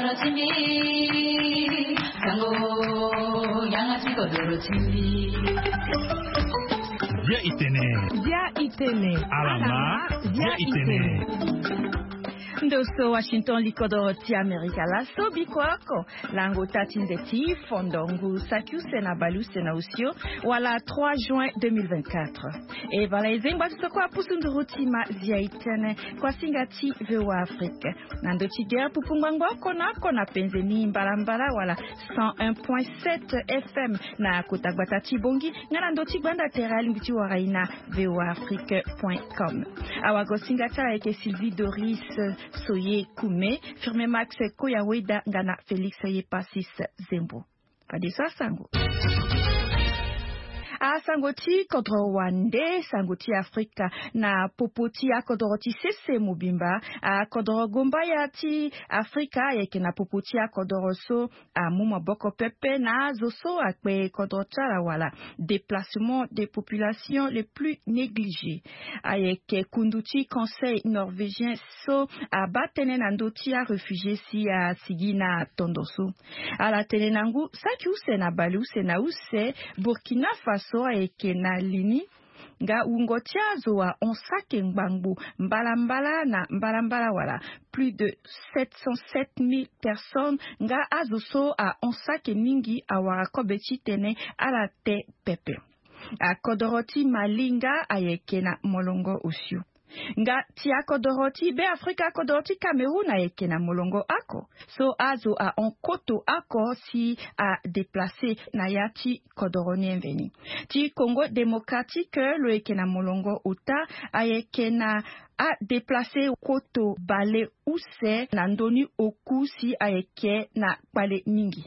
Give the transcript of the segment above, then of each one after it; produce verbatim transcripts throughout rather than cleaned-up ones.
Bia itene. Bia itene. Alama. Bia itene. Ndo so Washington, likodoro ti Amerika. Laso biko oko lango tâ ti nze ti fondongu saki use na bale use na osio, wala trois juin deux mille vingt-quatre. E bala e zengba ti soko apusu nduru ti ma zia itene, kuasinga ti VOA Afrique. Na ndo ti guerre, pupu ngbangbo oko na oko na penze ni mbalambala wala cent un point sept F M na kota gbata ti Bongi, nga na ndo ti gbanda tere alingbi ti wara e na VOA Afrique point com. Awagosinga ti ala ayeke Sylvie Doris Soye Kume, Firme Max Koya Weda, nga na Félix Yepasis Zembo. Fadeso asango. Asango ti kodro wande, sango ti Afrika na popo ti akodoro ti sese mobimba. Akodoro gombaya ti Afrika ayeke na popo ti akodoro so amu maboko pepe na azo so akpe kodro ti ala wala déplacement des populations les plus négligées. Ayeke kundu ti Conseil norvégien so abaa tënë na ndö ti aréfugié si asigi na tondo so. Ala tene na ngu saki use na bale use na use, Burkina Faso ayeke na li ni nga wungo ti azo ahon saki ngbangbo mbalambala na mbalambala wala plus de sept cent sept mille personnes, nga azo so ahon saki mingi awara kobe titene ala te pepe. Akodoro ti Mali nga ayeke na molongo osio. Nga ti akodoro ti Be Afrika, akodoro ti Cameroun ayeke na molongo oko so azo ahon koto oko si adéplacé na ya ti kodoro ni mveni. Ti Congo Démocratique lo yeke na molongo ota, ayeke na adéplacé koto bale use na ndö ni oku si ayeke na kpale mingi.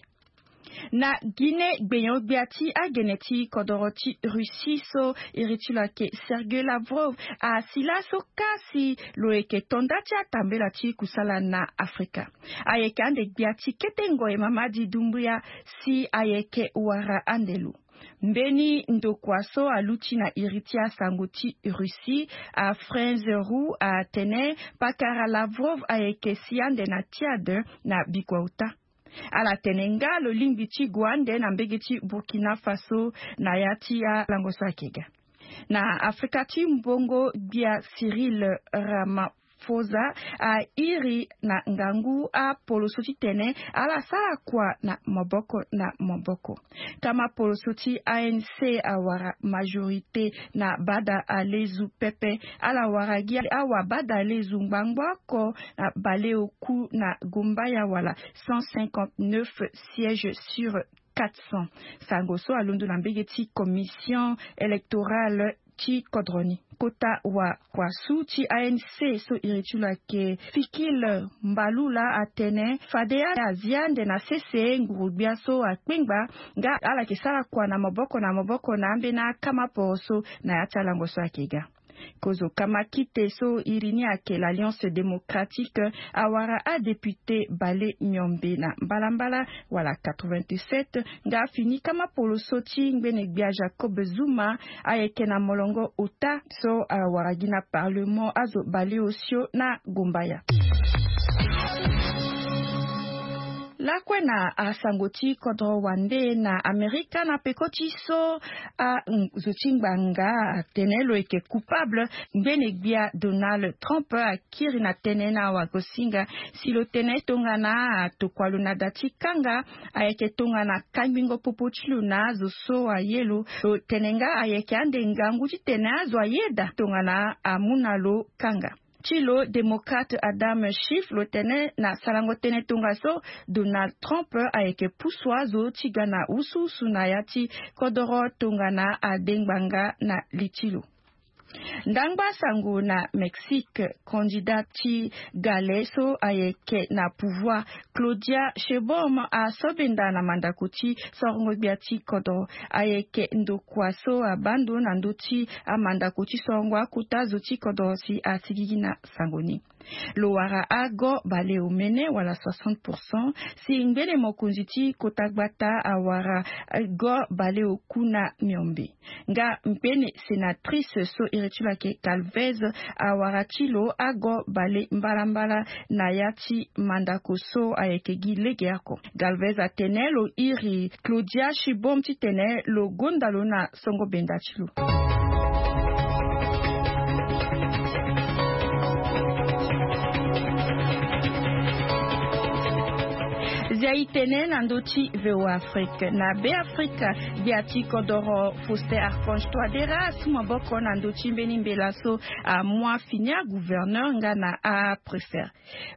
Na Guinée, gbenyo-gbia ti agene ti kodoro ti Russie so iri ti lo ayeke Sergei Lavrov asi laso ka si lo yeke to nda ti atambela ti kusala na Afrika. Ayeke ande gbia ti kete ngoi Mamadi Doumbouya si ayeke wara ande lo. Mbeni ndokua so aluti na iri ti asango ti Russie, Afrenz Roux, atene pakara Lavrov ayeke si ande na Tchad na bikua ota. Ala tene nga lo lingbi ti gue ande na mbege ti Burkina Faso na ya ti alango so ayeke ga. Na Afrika ti mbongo, gbia Cyril Ramaphosa airi na ngangu apoloso titene ala sara kua na maboko na maboko. Kama poloso ti A N C awara majorité na bada alezu pepe. Ala wara gi awa bada alezu ngbangbo oko na baleoku na Gombaya wala cent cinquante-neuf sièges sur quatre cents. Sango so alondo na mbege ti commission électorale ti kodro ni. Kota wakuasu ti A N C so iri ti lo ayeke Fikil Mbalula atene fade ala zia ande na sese nguru-gbia so akpengba nga ala yeke sara kua na maboko na maboko na ambeni akama poro so na ya ti alango so ayeke ga. Kozo kama kite so iri ni ayeke l'Alliance Démocratique awara adéputé bale miombe na mbalambala wala quatre-vingt-sept, nga afini kama poloso ti ngbene-gbia Jacob Zuma ayeke na molongo ota so awara gi na parlement azo baleosio na Gombaya. Lakue na asango ti kodro wande na Amerika na peko ti so azo ti ngbanga atene lo yeke coupable, ngbene-gbia Donald Trump akiri na tënë na wagosinga si lo tene tongana atokua lo na da ti kanga ayeke tongana kangbingo popo ti lo na azo so aye lo. Lo tene nga ayeke ande ngangu titene azo ayeda tongana amu na lo kanga. Ti lo, démocrate Adam Schiff lo tene na sarango tënë tongaso Donald Trump ayeke pusu azo ti ga na wusuwusu na ya ti kodoro tongana ade ngbanga na li ti lo. Ndangba sango na Mexique, candidat ti gale so ayeke na pouvoir Claudia Sheinbaum asobenda na mandako ti sorongo gbia ti kodoro. Ayeke ndokua so abaa ndo na ndö ti amandako ti sorongo akota zo ti kodoro si asigigi na sango ni. Lo wara ago baleomene wala soixante pourcent, si ngbene mokonzi ti kota gbata awara ago baleokuna miombe. Nga ngbene sénatrice so iri ti lo ayeke Calvez awara ti lo ago bale mbalambala na ya ti mandako so ayeke gi lege oko. Calvez atene lo iri Claudia Shibom titene lo gonda lo na songo benda ti lo. Zia e tene na ndö ti V O A Afrique. Na Be Afrika, gbia ti kodoro Faustin Archange Touadéra asu maboko na ndö ti mbeni mbela so amu afini agouverneur nga na apréfet.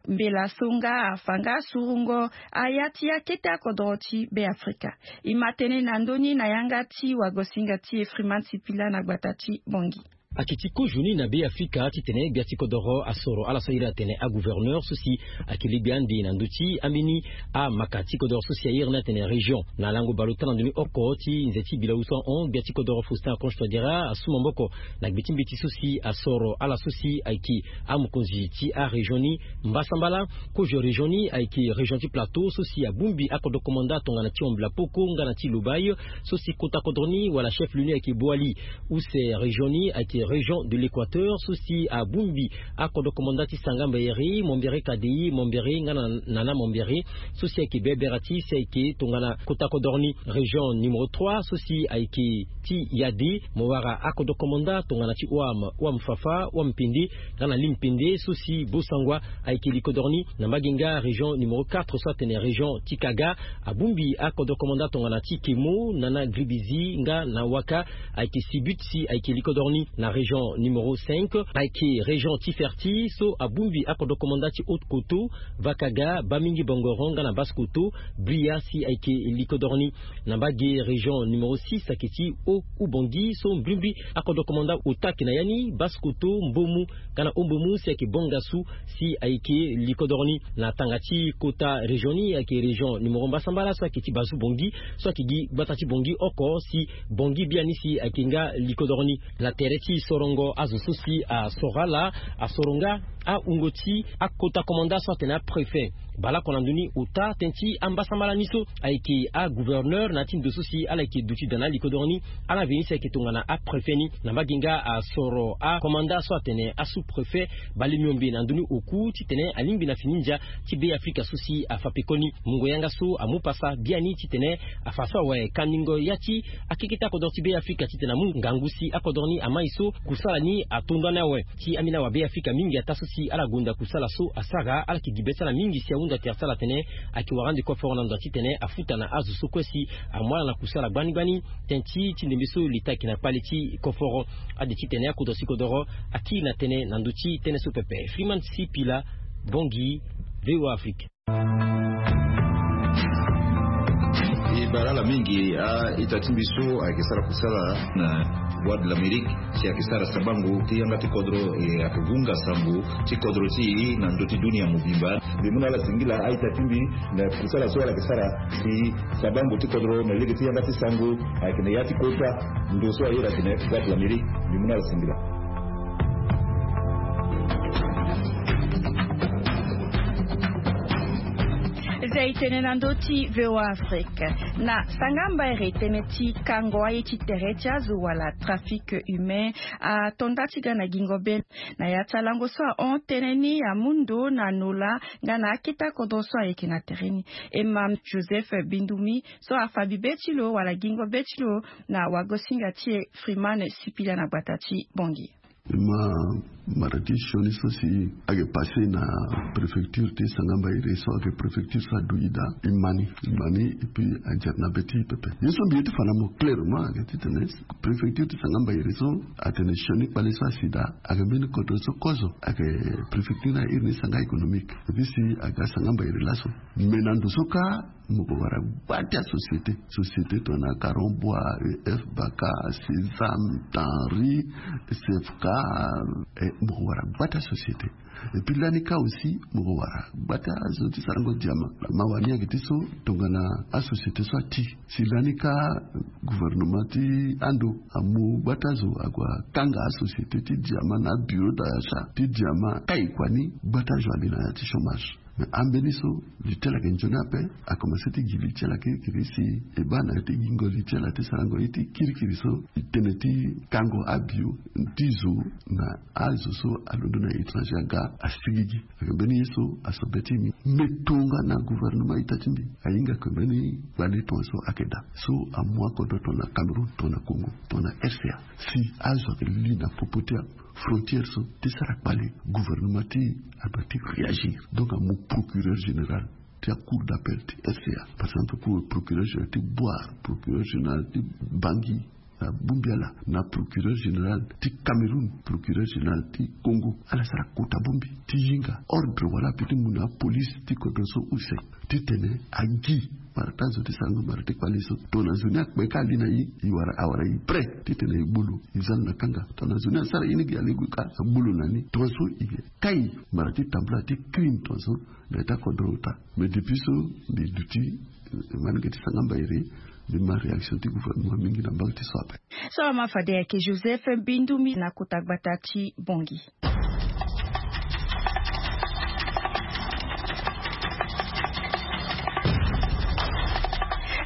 Mbela so nga afa nga asurungo aya ti akete akodoro ti Be Afrika. E ma tene na ndö ni na yanga ti wagosinga ti e Freeman Sipila na gbata ti Bangui. Ayeke ti kozo ni na Be Afrika titene gbia ti kodoro asoro ala so a iri atene agouverneur so si ayeke legbe ande na ndö ti ambeni amaka ti kodoro so si a iri ni atene région. Na lango bale ota na ndö ni oko ti nze ti bilau so ahon, gbia ti kodoro Faustin Archange Touadéra asu maboko na gbe ti mbeti so si asoro ala so si ayeke amokonzi ti arégion ni mbasambala. Kozo région ni ayeke région ti Plateau so si abongbi akodro komanda tongana ti Wambila Poko nga na ti Lobaye, so si kota kodro ni wala chef lieu ni ayeke Boali. Use région ni ayeke région de l'Équateur so si abongbi akodro komanda ti Sanga Mbayere, Mambere Kadei, Mambere nga na Nana Mambere, so si ayeke bebera ti si ayeke tongana kota kodro ni. Région numéro trois so si ayeke ti Yade, mo wara akodro komanda tongana ti Ouam, Ouam Fafa, Ouam Pende nga na Lim Pende, so si Bosangwa ayeke li kodro ni. Na mbage nga région numéro quatre so atene région ti Kaga, abongbi akodro komanda tongana ti Kemo, Nana Gribizi nga na Waka, ayeke Sibut si ayeke li kodro ni. Na région numéro cinq ayeke région ti Ferti so abongbi akodro komanda ti Haute Koto, Vakaga, Bamingi Bangoro nga na Basse Koto, Bria si ayeke li kodro ni. Na mbage région numéro six ayeke ti Haut Oubangui so mbrimbri akodro komanda ota ayeke na ya ni, Basse Koto, Mbomu nga na Haut Mbomu si ayeke Bangassou si ayeke li kodro ni. Na tanga ti kota région ni ayeke région numéro mbasambala so ayeke ti Bazoue Bangui, so ayeke gi gbata ti Bangui oko si Bangui biani si ayeke nga li kodro ni. Na tere ti sorongo azo so si asoro ala, asoro nga ahungo ti akota komanda so atene apréfet. Baleoko na ndö ni ota tënë ti ambasambala ni so ayeke agouverneur na ya ti ndo so si ala yeke duti daa na ali kodro ni. Ala veni si ayeke tongana apréfet ni. Na mbage nga asoro akomanda so atene asous-préfet bale miombe na ndö ni oku titene alingbi na fini ndia ti Be Afrika so si afa pekoni. Mungo yanga so amu pasa biani titene afa so awe kandingo ya ti akeketa akodro ti Be Afrika titene amu ngangu si akodro ni amai so kusala ni ato ndani awe. Ti ambeni awa Be Afrika mingi ataa so si ala gonda kusala so asara, ala yeke gi be ti ala mingi si ahunda tere ti ala atene ayeke wara ande koforo na ndo titene afuta na azo so kue si amu ala na kusala gbani gbani. Tënë ti ti ndembe so leta ayeke na kpale ti koforo. Ade titene akodro ti kodoro akiri na tënë na ndö ti tënë so pepe. Freeman Sipila, Bangui, V O A Afrique. E bara ala mingi a-ita ti mbi so ayeke sara kusala na Voix de l'Amérique, si ayeke sara sabango ti yanga ti kodro, e ayeke vunga sango ti kodro ti e na ndö ti dunia mobimba. Mbi mu na ala singila a-ita ti mbi na kusala so ala yeke sara si sabango ti kodro na lege ti yanga ti sango ayeke na ya ti kota ndo so a iri atene Voix de l'Amérique. Mbi mu na ala singila. Zia e tene na ndö ti V O A Afrique. Na sanga mbairi tënë ti kango aye ti tere ti azo wala trafic humain ato nda ti ga na gingo be. Na ya ti alango so ahon tënë ni amu ndo na nola nga na akete akodro so ayeke na tere ni. Imam Joseph Bindumi so afa bibe ti lo wala gingo be ti lo na wagosinga ti e Freeman Sipila na gbata ti Bangui. E ma mara ti sioni so si ayeke passé na préfecture ti Sanga Mbairi so ayeke préfecture so adui daa. E ma ni, e ma ni, et puis anzere na be ti e pepe. Ye so mbi ye ti fa na mo clairement ayeke titene préfecture ti Sanga Mbairi so atene sioni kpale so asi daa. Ayeke mbeni kodro so kozo ayeke préfecture ni a iri ni Sanga économique. Et puis si aga Sanga Mbairi laso, me na ndo so kâ mo ko wara gba ti asociété. Société tongana Caron Bois, E F Baka, Sésame, Tanri, C F K, e Mo wara gbata société. Et puis lani ka aussi mo wara gbata zo ti sarango diama. Ma wani ake ti so tongana asociété so ati si lani ka gouvernement ti ando amu gbata zo ague akanga asociété ti diama na bureau d'achat ti diama kai kua ni gbata zo ali na ya ti chômage. Mais ambeni so li ti ala yeke nzoni ape. Akomanse ti gi li ti ala kirikiri si e baa na ya ti gingo li ti ala ti sarango ye ti kirikiri so li tene ti kango abio ti zo na azo so alondo na étranger aga asigigi. Ayeke mbeni ye so aso be ti mbi. Mbi tonga na gouvernement ita ti mbi ahinga yeke mbeni gbale tongaso ayeke daa so amu akodro tongana Cameroun tongana Congo tongana RCA. Si azo ayeke li na popo ti afrontière so ti sara kpale gouvernement ti adoit ti réagir. Donc amu procureur général ti acour d'appel ti RCA, par exemple procureur général ti Bouar, procureur général ti Bangui, na bongbi ala na procureur général ti Cameroun, procureur général ti Congo, ala sara kota bongbi ti hinga ordre wala ape ti mu na apolice ti kodro so use titene agi mara ti azo ti sarango mara ti kpale so tongana zo ni akpe ka ali na e, e wara awara e prêt titene e gbu lo e za lo na kanga. Tongana zo ni asara ye ni gi alegu ka agbu lo na ni tongaso e kai mara ti tambula ti crime tongaso na eta kodro ota. Mais depuis so mbi duti, eh, manenge ti sanga mbairi. Mbi ma réaction ti gouvernement mingi na mbage ti so ape. So ama fade ayeke Joseph Bindumi na kota gbata ti Bongi.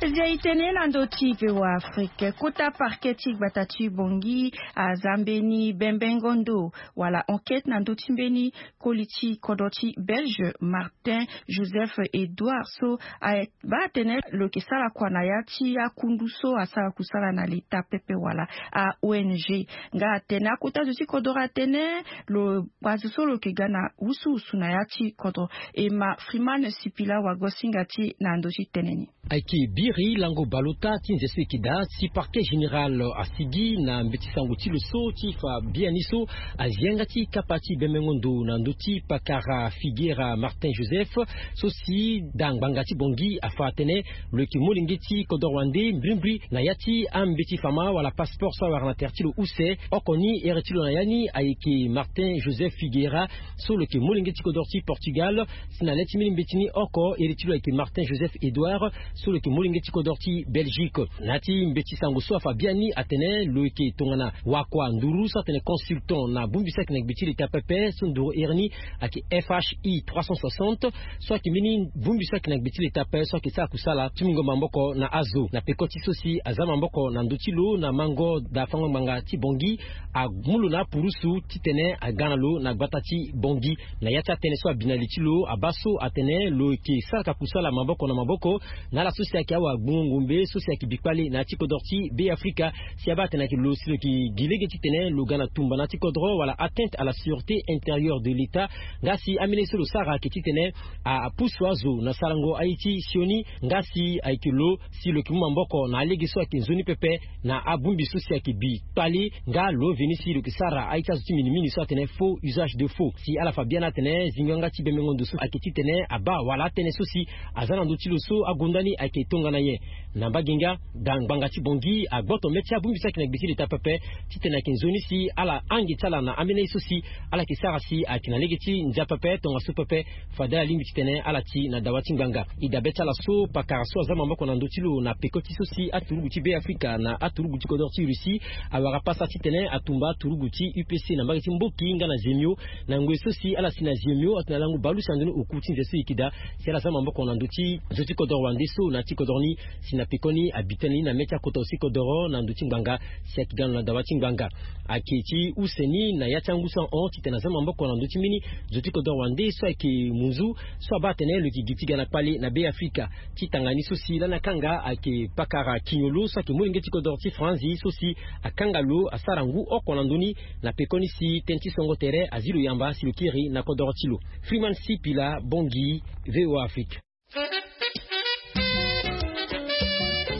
Zia e tene na ndö ti V O A Afrique, kota parquet ti gbata ti Bongi aza mbeni bembengo ndo wala enquête na ndö ti mbeni koli ti kodro ti Belge Martin Joseph Edouard so abaa atene lo yeke sara kua na ya ti akundu so asara kusala na leta pepe wala a O N G. Nga atene akota zo ti kodro atene lo kpa zo so lo yeke ga na wusuwusu na ya ti kodro. E ma Freeman Sipila wagosinga ti na ndö ti tene ni. Ayeke biri lango baleota ti nze so e yeke daa si parquet général asigi na mbeti sango ti lo so ti fa biani so azi yanga ti kapa ti bembengo ndo na ndö ti pakara Figueira Martin Joseph so si daa ngbanga ti Bongi afa atene lo yeke molenge ti kodro wande mbrimbri na ya ti ambeti fama wala passeport so awara na tere ti lo use. Oko ni here ti lo na ya ni ayeke Martin Joseph Figueira so lo yeke molenge ti kodro ti Portugal. Si na le ti mbeni mbeti ni oko iri ti lo ayeke Martin Joseph Edouard so lo yeke molenge ti kodro ti Belgique. Na ya ti mbeti sango so afa biani atene lo yeke tongana wakua nduru so atene consultant na bongbi so ayeke na gbe ti leta pepe so nduru iri ni ayeke F H I trois cent soixante so ayeke mbeni bongbi so ayeke na gbe ti leta pepe so ayeke sara kusala ti mungo maboko na azo na peko ti so si aza maboko na ndö ti lo na mango daa fango ngbanga ti Bongi amu lo na apurusu titene aga na lo na gbata ti Bongi. Na ya ti atënë so abi na li ti lo abaa so atene lo yeke saraka kusala maboko na maboko na ala so si ayeke awagbungo ngombe so si ayeke bi kpale na ya ti kodro ti Be Afrika. Si abaa atene ayeke lo si lo yeke gi lege titene lo ga na tumba na ya ti kodro wala atteinte à la sûreté intérieure de l'État. Nga si ambeni ye so lo sara ayeke titene apusu azo na sarango aye ti sioni. Nga si ayeke lo si lo yeke mu maboko na alege so ayeke nzoni pepe na abongbi so si ayeke bi kpale. Nga lo veni si lo yeke sara aye ti azo ti minimini so atene faux usage de faux. Si ala fa biani atene zingo yanga ti bembengo ndo so ayeke titene abaa wala atënë so si aza na ndö ti lo so agonda ni ayeke tongana nyen. Na mbage nga daa ngbanga ti Bongi agboto mê ti abongbi so ayeke na gbe ti leta pepe titene ayeke nzoni si ala hange ti ala na ambeni aye so si ala yeke sara si ayeke na lege ti ndia pepe tongaso pepe. Fade ala lingbi titene ala ti na dawa ti ngbanga. E dabe ti ala so pakara so aza maboko na ndö ti lo na peko ti so si aturugu ti Be Afrika na aturugu ti kodro ti Russie awara pasa titene atumba aturugu ti U P C na mbage ti Mboki nga na Zemio. Na ngoi so si ala si na Zemio atene ala ngu baleuse na ndoni oku ti nze so e yeke daa si ala za maboko na ndö ti zo ti kodro wande so na ya ti kodro ni. Si na pekoni abi tënë ni na mê ti akota use kodro na ndö ti ngbanga si ayeke ga na lo na dawa ti ngbanga. Ayeke ti use ni na ya ti angu so ahon titene aza maboko na ndö ti mbeni zo ti kodro wande so ayeke munzu so abaa atene lo yeke gi ti ga na kpale na Be Afrika. Ti tanga ni so si lani akanga ayeke pakara Kignolo so ayeke molenge ti kodro ti Franzi so si akanga lo asara ngu oko na ndö ni. Na pekoni si tënë ti songo tere azi lo yamba si lo kiri na kodro ti lo. Freeman Sipila, Bongi, V O A Afrique.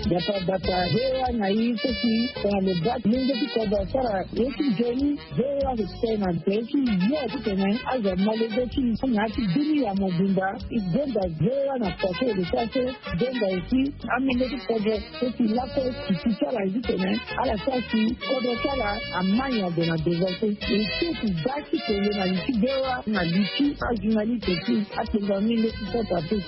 Bata bata, ve wa na i so si tongana lo baa ti lenge ti kodro asara ye ti nzoni. Ve wa lo tene na nze ti yo titene azo amolenge ti na ya ti bini ya mobimba. I gonda ve wa na pase lo sara so. Gonda aussi amolenge ti kodro so si lakue ti ti ti ala ye titene ala sara si kodro ti ala ama nyango na devance. E so ti baa ti tene na li ti ve wa na li ti ajournaliste ti atengo amolenge ti kodro ape.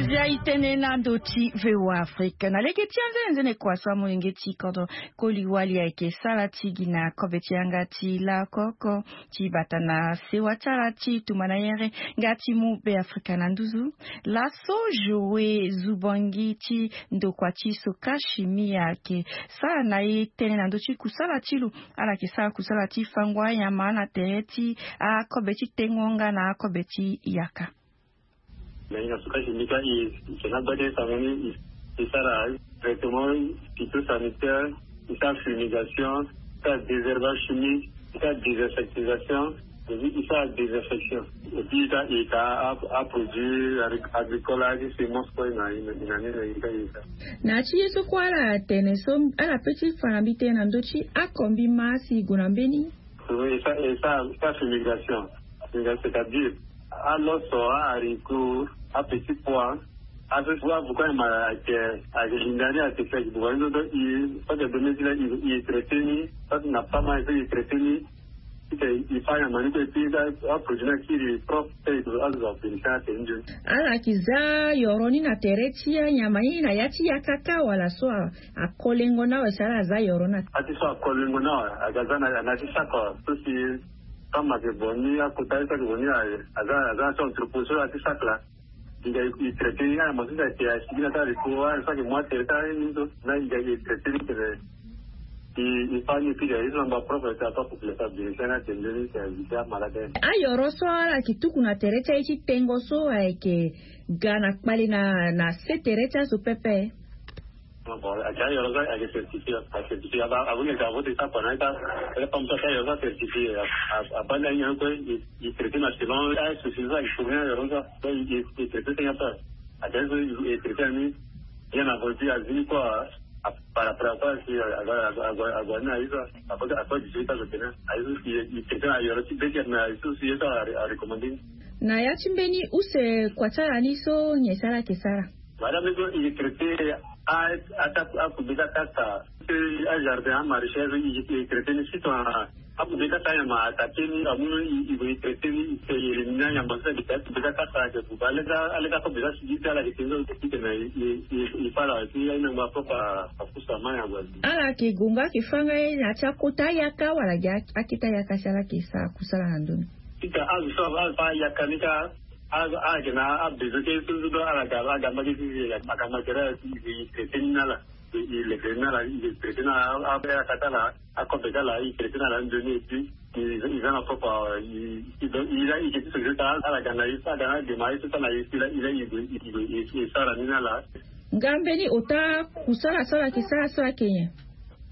Zia i tene na ndo ti V O A Afrique na lege ti anzenenzene kua so amolenge ti kodro koli wali ayeke sara ti gi na kobe ti yanga ti lakoko ti bata na sewa ti ala ti tumba na yere nga ti mu Be Afrika na nduzu. Laso Joe Zubangi ti ndokua ti Soka Chimie ayeke sara na e tënë na ndö ti kusala ti lo. Ala yeke sara kusala ti fango anyama na tere ti akobe ti tengo nga na akobe ti yaka. Na ina suka ti mbi ka i, i ke na gbade sango ni, i, i sara traitement phytosanitaire, i sara fumigation, i sara désherbage chimique, i sara désinsectisation, et puis i sara désinfection. Et puis i ka, i ka a, a produit agri-, agricole, agi semence kue na ina, ina ni na i ka i ka. Na ti ye so kue ala tene so ala pe ti fa na mbi tënë na ndö ti akombi ma si i gue na mbeni. Oui, ça, et ça, ça, fumigation. Fumigation, c'est-à-dire, aloso, a haricot, a petit pois, a so ti wa buka ma ayeke, ayeke linda ni ayeke seki buka ni so, donc i, so ayeke donné ti la, i, i traité ni, so na pas mal, i traité ni. I ke, i fa nyama ni kue, et puis a produit ni akiri propre, te i azo azo apolisi atene nzoni. Ala yeke za yoro ni na tere ti anyama ni na ya ti yaka ka wala so a, akolengo ni awe si ala za yoro ni na. A ti so akolengo ni awe, aga za na, na ti saka so si Kama ke boni, akota ye so ayeke boni aye, aza, aza na so entrepôt so aye ti saka la. Inga i traité ni, aye mo so si ayeke asigi na ti haricot, aye so ayeke mu atere ti aye ni so, na inga i traité ni tene i, i fa ni, puis aye so na ngba propre ti afa population abénéficier ni atene nzoni si éviter amalade aye. Ayoro so ala yeke tuku na tere ti aye ti tengo so ayeke ga na kpale na, na se tere ti azo pepe. Bon, ayeke ayoro so ayeke certifié, acertifié, aba, abo ni ayeke avo ti sapa na ita, ele pam so ayeke ayoro so acertifié, a, a, abaa ni ahinga ni kue, i, i traité na selon, a, souci so ayeke tourné ayoro so, so i, i, i traité ti ahinga so, ayeke so i, i traité na ni, bien avant ti azi ni kue, a, par après, après, si, a, a, a, a, a, a, ni na aye so, a, a, a, a, dix-huit ans, so tene, aye so, i, i traité na ayoro ti beker, mais aye so, si ye so a, a recommandé ni. Na ya ti mbeni use kua ti ala ni so, nyen si ala yeke sara? Madame, so i traité a, a, a, a, akube ti akasa. Ti ajardin, amaraîchage, i, i traité ni si tongana akube ti akasa anyama attaqué ni, amu ni, i, i traité ni, i éliminer anyama so ayeke akube ti akasa ayeke buba. Aleka, aleka akube ti asigi ti ala ayeke tene so, i tene i, i, i, i fa ala ti ahinga ngba propre apusu ama nyango azi. Ala yeke gue nga ayeke fâ nga ye na ya ti akota ayaka wala gi akete ayaka si ala yeke sara kusala na ndö ni? Ti ka azo so afa ayaka ni ka, a, a yeke na abezo ti aye so so do ala ga, ala ga mbage ti, ala ga mbage ti, i, i traité ni na ala, i, i leke ni na ala, i traité na a, a, ayaka ti ala, akobe ti ala, i traité na ala nzoni, et puis i, i za na propre, i, i, i la, i ke ti solution ti ala, ala ga na ye so, ala ga na adema ye so ti ala, ye so i la, i la, i gue, i gue, i, i sara ni na ala. Nga mbeni ota kusala so ala yeke sara so ayeke nyen?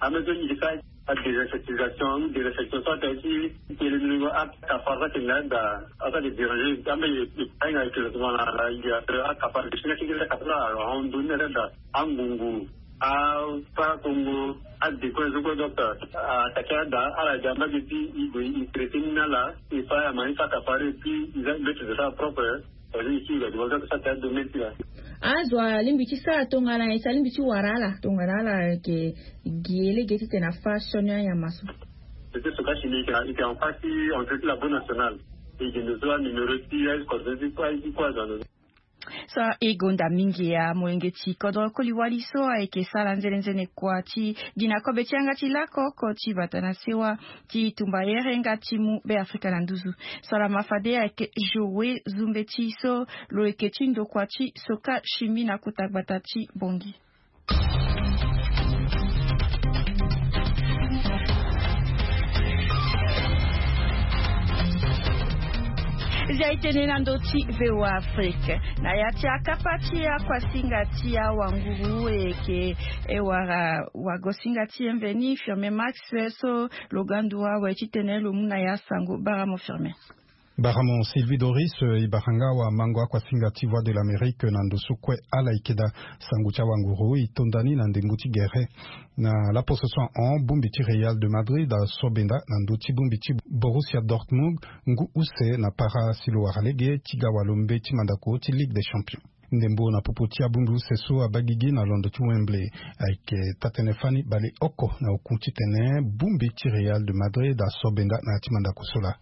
Ame so i ke sara. Adésinsectisation, ou désinfection, so atene ti tene ni ngo akapar so ayeke na daa, aso ayeke déranger, ambe ye, ahinga ayeke na tongana na, na, akapar, si na keke akapar la, ahon ndoni na daa, angungu, apakongo, adécoin zo kue, donc, a, attaqué na daa, ala ga mbage ti, i gue, i traité ni na ala, i fa ya ma, i fa akapar, et puis, i za, i za sara propre. Azo alingbi ti sara tongana nyen si alingbi ti wara ala tongana ala yeke gi ye lege titene afa sioni anyama so? C'était ce cas chimique, hein. Il était en face, on fait la bonne nationale. Et il nous a numéro six, il a coordonné quoi, il dit quoi, dans le... So e gonda mingi ya molenge ti kodro koli wali so ayeke sara nzene nzene kua ti gi na kobe ti yanga ti lakoko ti bata na sewa ti tumba here nga ti mu Be Afrika na nduzu. Salama fade ayeke Joe Zumbeti so lo yeke ti ndokua ti Soka Chimie na kota gbata ti Bangui. Zia e tene na ndö ti V O A Afrique na ya ti akapa ti akuasinga ti awanguru e yeke e wara wagosinga ti e mveni Firmin Max so lo ga ndu awe titene lo mu na ya sango bara mo Firmin. Baramo Sylvie Doris, eh, e bara nga wamango akuasinga ti Voix de l'Amérique na ndo so kue ala yeke daa. Sango ti awanguru e tonda ni na ndembo ti gere. Na laposo so ahon, bongbi ti Real de Madrid asobenda na ndö ti bongbi ti Borussia Dortmund ngu use na para si lo wara lege ti ga walombe ti mandako ti Ligue des Champions. Ndembo na popo ti abongbi use so abaa gigi na londo ti Wembley ayeke taa-tënë fani baleoko na oku titene bongbi ti Real de Madrid asobenda na ya ti mandako so laa.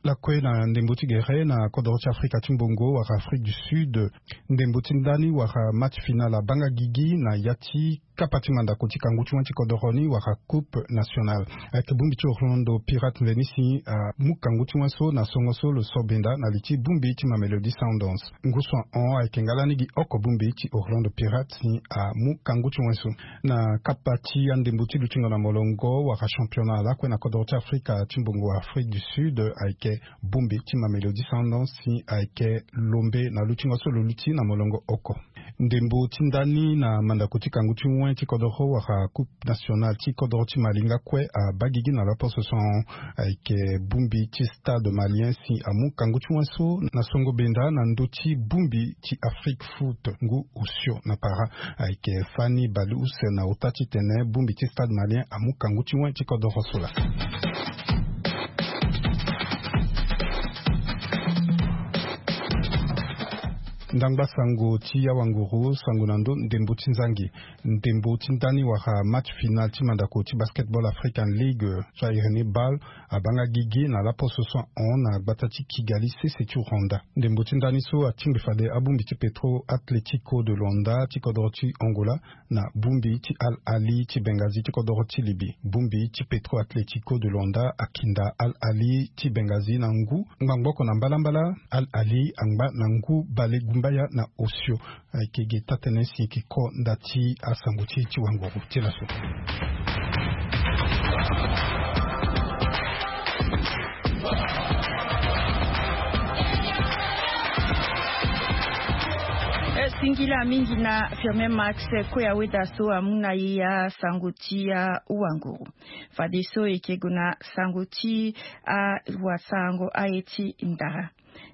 Lakue na ndembo ti gere na kodoro ti Afrika ti mbongo wala Afrique du Sud, ndembo ti ndani wala match final abaa nga gigi na ya ti kapa ti mandako ti kangu ti wen ti kodoro ni wala Coupe Nationale. Ayeke bongbi ti Orlando Pirates nzeni si amu kangu ti wen so na songo so lo sobenda na li ti bongbi ti Mamelodi Sundowns. Ngu so ahon ayeke nga lani gi oko bongbi ti Orlando Pirates si amu kangu ti wen so. Na kapa ti andembo ti lutingo na molongo wala championnat lakue na kodoro ti Afrika ti mbongo Afrique du Sud, ayeke bongbi ti Mamelodi Sundowns si ayeke lombe na lutingo so lo luti na molongo oko. Ndembo ti ndani na mandako ti kangu ti wen ti kodoro wala Coupe Nationale ti kodoro ti Mali nga kue abaa gigi na laposo so ahon, ayeke bongbi ti Stade Malien si amu kangu ti wen so na songo benda na ndö ti bongbi ti Afrique Foot ngu osio na para. Ayeke fani baleuse na ota titene bongbi ti Stade Malien amu kangu ti wen ti kodoro so laa. Ndangba sango ti awanguru, sango na ndö ndembo ti nzangi. Ndembo ti ndani wala match final ti mandako ti Basketball African League, so a iri ni BAL, abaa nga gigi na laposo so ahon na gbata ti Kigali, sese ti Rwanda. Ndembo ti ndani so atingbi fade abongbi ti Petro Atletico de Luanda ti kodoro ti Angola na bongbi ti Al Ahly ti Benghazi ti kodoro ti Libye. Bongbi ti Petro Atletico de Luanda akinda Al Ahly ti Benghazi na ngu ngbangbo oko na mbalambala. Al Ahly angba na ngu balegumbaya na osio. Ayeke ge taa-tënë si e yeke ko nda ti asango ti e ti wanguru ti laso. E singila mingi na Firmin Max Koya Weda so amu na e asango ti awanguru. Fadeso e yeke gue na sango ti awasarango aye ti ndara.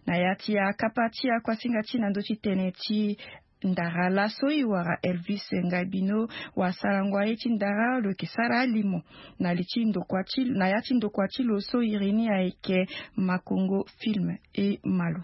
Na ya ti akapa ti akuasinga ti na ndö ti tënë ti ndara laso e wara Elvis Ngaibino, wasarango aye ti ndara lo yeke sara alimo na li ti ndokua ti, na ya ti ndokua ti lo so iri ni ayeke Makongo Film. E ma lo.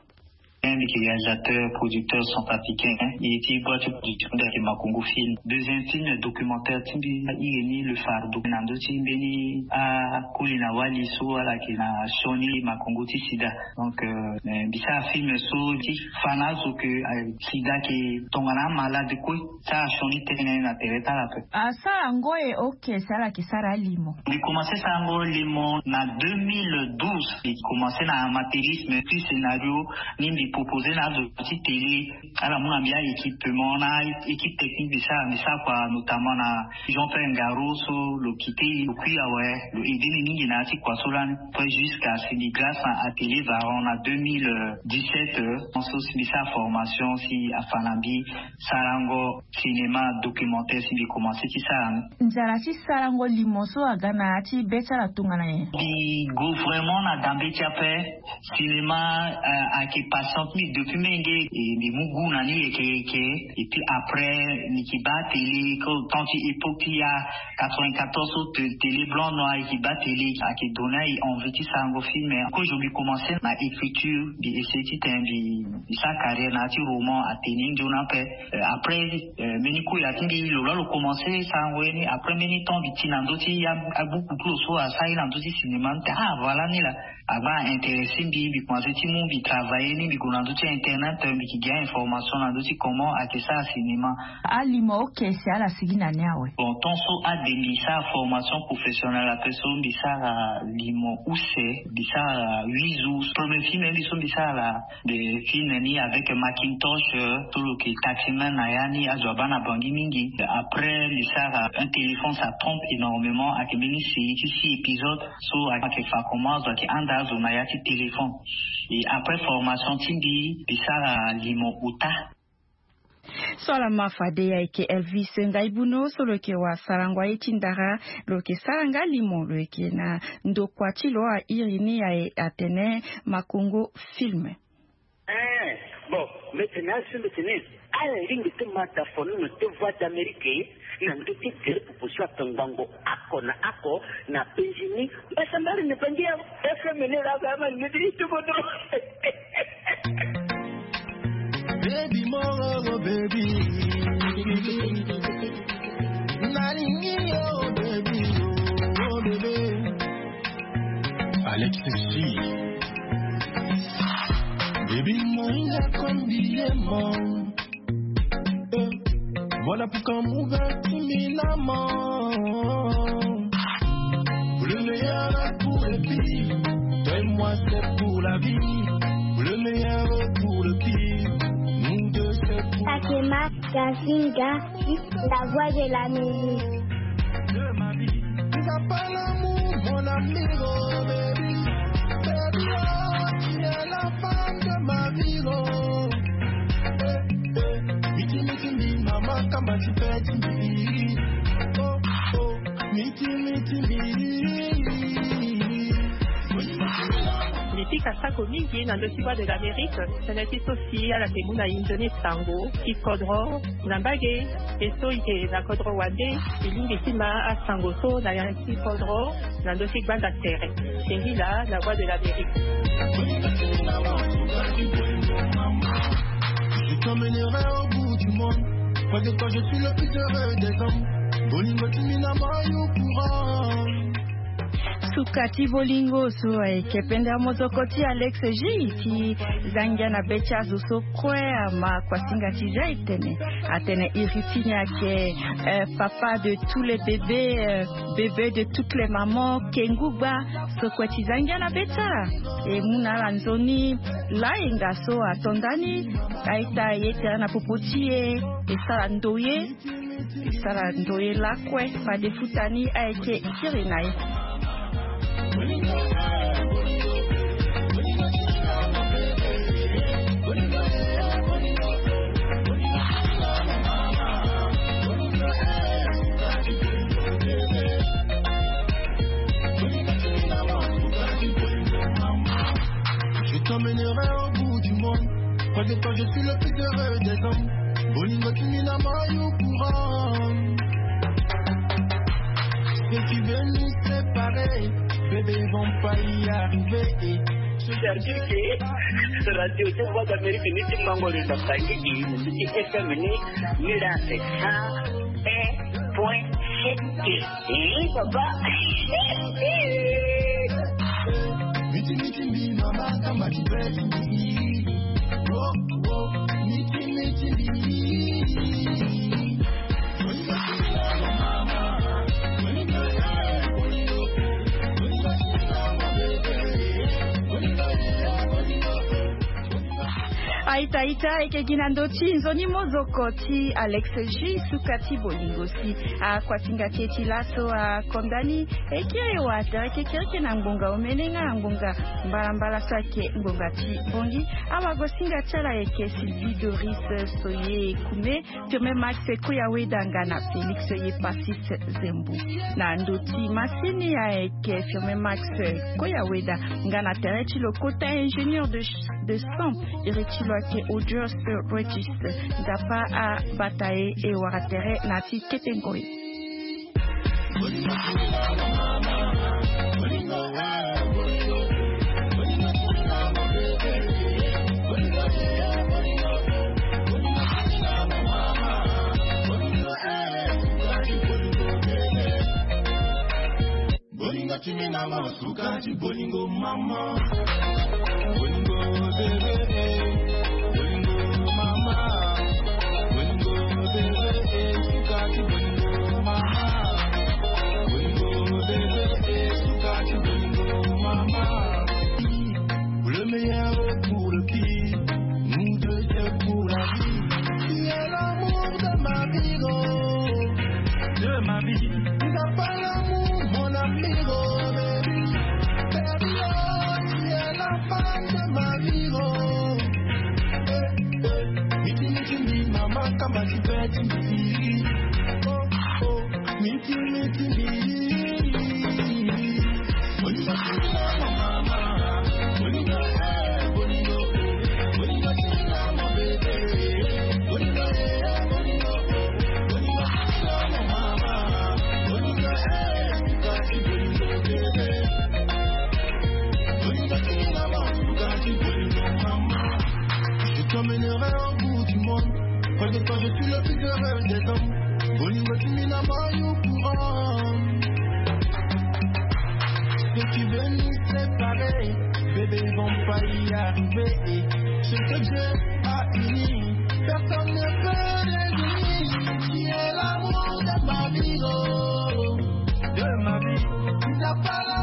Mbi yeke réalisateur, producteur centrafricain. E ti boîte ti production mbi ayeke Makongo Film. Deuxième film documentaire ti mbi iri ni Le Fardeau, na ndö ti mbeni akoli na wali so ala yeke na sioni makongo ti sida. Donc, euh, mbi sara film so ti fa na azo ke, euh, sida ayeke tongana amalade kue. Sara sioni tënë na tere ti ala ape. Asara ngoi oke si ala yeke sara alimo. Mbi commencé sarango limo na deux mille douze. Mbi commencé na amateurisme, puis scénario ni mbi proposé na azo ti télé, ala mu na mbi a-équipement na équipe technique. Mbi sara, mbi sara kua notamment na Jean-Pierre Ngaro so lo quitté, lo kui awe, lo aidé ni mingi na ya ti kua so lani. Après, jusqu'à si mbi grâce na Atelier Varan na deux mille dix-sept, euh, so si mbi sara formation si afa na mbi sarango cinéma documentaire si mbi commencé ti sara ni. Nzara ti sarango limo so aga na ya ti be ti ala tongana nyen? Mbi gue vraiment na dambe ti ape. Cinéma, euh, ayeke passion ti mbi depuis menge, e mbi mu goût na ni yeke yeke. Et puis après mbi yeke baa télé, ko temps ti époque ti ya quatre-vingt-quatorze so te-, télé blanc noir, e yeke baa télé, ayeke donné e envie ti sarango film. Kozo mbi commencé na écriture, mbi essayé titene mbi, mbi sara carrière na ya ti roman, atene nzoni ape. Euh, après, euh, mbeni koya ti mbi lo laa lo commencé sarango ye ni. Après mbeni temps mbi ti na ndö ti a-, abuku ti lo so asara ye na ndö ti cinéma, mbi tene ah voilà ni laa. Abaa intéressé mbi, mbi commencé ti mu, mbi travaillé ni, mbi gue na ndö ti internet, mbi yeke ge a-information na ndö ti comment ayeke sara cinéma. Alimo oke si ala sigi na ni awe? Bon, temps so ade mbi sara formation professionnelle ape so mbi sara limo use, mbi sara huit jours. Premier film mbi so mbi sara la, mbi film ni avec Macintosh, euh, so lo yeke taximan na ya ni, azo abaa na Bangui mingi. Après mbi sara Un téléphone ça trompe énormément, ayeke mbeni série ti six épisodes so ayeke fa comment azo ayeke handa azo na ya ti téléphone. Et après formation ti mbi, mbi sara limo ota. So ala ma fade ayeke Elvis Ngaibuno so lo yeke wa sarango aye ti ndara. Lo yeke sara nga limo lo yeke na ndokua ti lo airi ni aye atene Makongo Film. Eh, bon, mbi tene azo mbi tene ala lingbi ti ma da fo ni na te Voix d'Amérique na ndö ti tere proposition ape ngbangbo ako na ako na penzi ni. Mbasambari ni bangi ya F M ni la ba ma ni ti ti bodo. Baby, more, oh, baby. Nalingi, oh, baby, oh, baby. Alex G. Baby, moinga kombiemo. Eh, voilà pourquoi mon gars, tu m'es la mort. Pour le meilleur, pour le pire. Toi et moi, c'est pour la vie. Pour le meilleur, pour le pire. Nous deux, c'est pour Akema Kasinga, la voix de la musique. De ma vie. Tu n'as pas l'amour, mon ami, oh baby. Baby, oh, tu es la femme de ma vie, oh. Eh, eh. Miti, miti, mi, mama, kamba, ti, pe, ti, mi. Oh, oh. Miti, miti, mi. Mbi pika sako mingi na ndö ti Voix de l'Amérique, tënë ti so si ala yeke mu na inzo ni sango ti kodro na mbage. E so e yeke na kodro wande, e lingbi ti ma asango so na ya ti kodro na ndö ti gbanda tere. Singila na Voix de l'Amérique. Je t'emmènerai au bout du monde. Près de toi, je suis le plus heureux des hommes. Bolingo ti mina mayo courant. Suka ti bolingo so ayeke pendere mozoko ti Alex G ti za ngia na be ti azo so kue ama kuasinga ti za etene. Atene iri ti ni ayeke, eh, papa de tous les bébés, eh, bébé de toutes les mamans, kengu gba. So kue ti za ngia na be ti ala e mu na ala nzoni layenga so ato ndani. A-ita e ye tere na popo ti e, e sara ndoye. E sara ndoye lakue fade futa ni ayeke kiri na e. Je t'emmènerai au bout du monde. Près de toi, je suis le plus heureux des hommes. Bolingo ti mina mayo courant. Ceux qui veulent nous séparer, bébé, ils vont pas y arriver. C'est-à-dire que radio ti Voix d'Amérique ni ti mango le na tangi di ti F M ni, ni la c'est cent un point sept. Eh, papa. Miti, miti, mi, mama, kamba, ti, pe, ti, mi. Oh, oh, miti, miti, mi. A-ita, a-ita, e yeke gi na ndö ti nzoni mozoko ti Alex G, suka ti bolingo si akuasinga ti e ti laso akonda ni. E kiri e wara tere kekereke na ngbonga omene nga na ngbonga mbalambala so ayeke ngbonga ti bongi. Awagosinga ti ala ayeke Sylvie Doris Soye Kume, Firmin Max Koyaweda nga na Félix Yepasis Zembo. Na ndö ti masini ayeke Firmin Max Koyaweda nga na tere ti lo kota ingénieur de, de son, iri ti lo ayeke Audius Regis. Nzapa abata e, e wara tere na ya ti kete ngoi. Bolingo ti mina mo suka ti bolingo mama. Bolingo bebe, eh. Bolingo mama. Bolingo bebe, eh, suka ti bolingo mama. Bolingo bebe, eh, suka ti bolingo mama. Pour le meilleur ou pour le pire, nous deux, c'est pour la vie. Tu es l'amour de ma vie, oh. De ma vie. Tu n'as pas l'amour, mon ami, oh, baby. Baby, oh, tu es la femme de ma vie, oh. Des hommes, bolingo timi na moi au courant. Ceux qui veulent nous séparer, bébé, ils vont pas y arriver. Ce que Dieu a uni, personne ne peut les unir. Tu es l'amour de ma vie, oh, de ma vie. Tu n'as pas